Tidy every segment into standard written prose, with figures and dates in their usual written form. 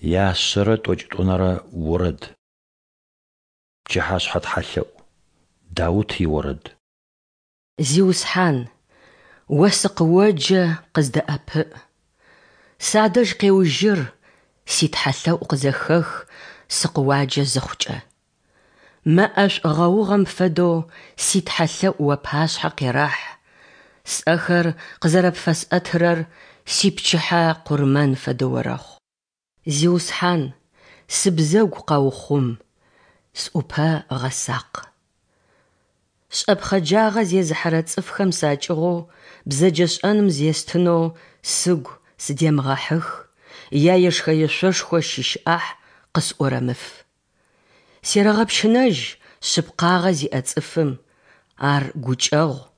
Яшъэрэ тӏокӏитӏунэрэ орэд. Пчыхьэшъхьэ тхьэлъэӏу. Даут иорэд. Зиусхьан, О сыкъыоджэ, къыздэӏэпыӏ. Садэжь къеужьыр, ситхьэлъэӏу къызэхэх сыкъыуаджэ зыхъукӏэ. Мэ ӏэшӏу гъэугъэм фэдэу ситхьэлъэӏу уапашъхьэ къерэхь, сӏэхэр къызэрэпфэсӏэтырэр сипчыхьэ къурмэн фэдэ орэхъу. Зиусхьан, сыбзэгу къэухъум, сӏупэ гъэсакъ. Шӏэпхъэджагъэ зезыхьэрэ цӏыфхэм сакӏыгъоу бзэджэшӏэным зестынэу сыгу сыдемыгъэхьых, яешхэ-ешъошхо щыщ ӏахь къысӏурэмыф. Серэгъэпщынэжь шъыпкъагъэ зиӏэ цӏыфым, ар гукӏэгъу,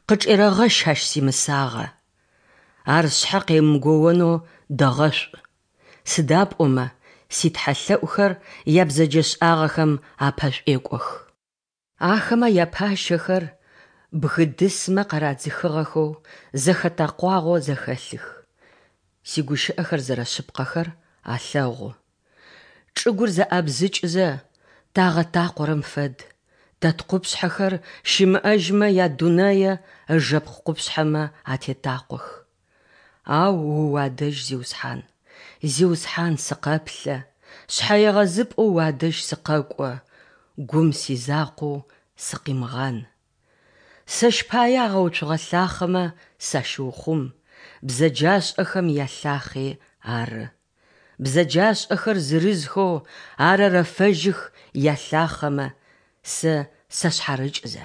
къычӏерэгъэщ ащ симысагъэ. Ар сшъхьэ къемыгоонэу дэгъэшӏу, сыда пӏомэ ситхьэлъэӏухэр ябзэджэшӏагъэхэм апэшӏуекӏох. Ахэмэ япащэхэр бгы дысмэ къарадзыхыгъэхэу зэхэтэкъуагъэу зэхэлъых. Сигущыӏэхэр зэрэшъыпкъэхэр алъэгъу. Чӏыгур зэӏабзыкӏызэ, тагъэтакъорэм фэд, тэ ткъупшъхьэхэр щымыӏэжьмэ ядунэе ыжэпкъ къупшъхьэмэ атетакъох. Ау О уадэжь, Зиусхьан, Зиусхьан, сыкъэплъэ, шъхьэегъэзыпӏэу уадэжь сыкъэкӏо, гум сизакъоу сыкъимыгъан. Сэщ пае агъэуцугъэ лъахъэмэ сащыухъум, бзэджашӏэхэм ялъахъи ары. Бзэджашӏэхэр зырызхэу арэрэфэжьых ялъахъэмэ, сэ сашъхьарыкӏзэ.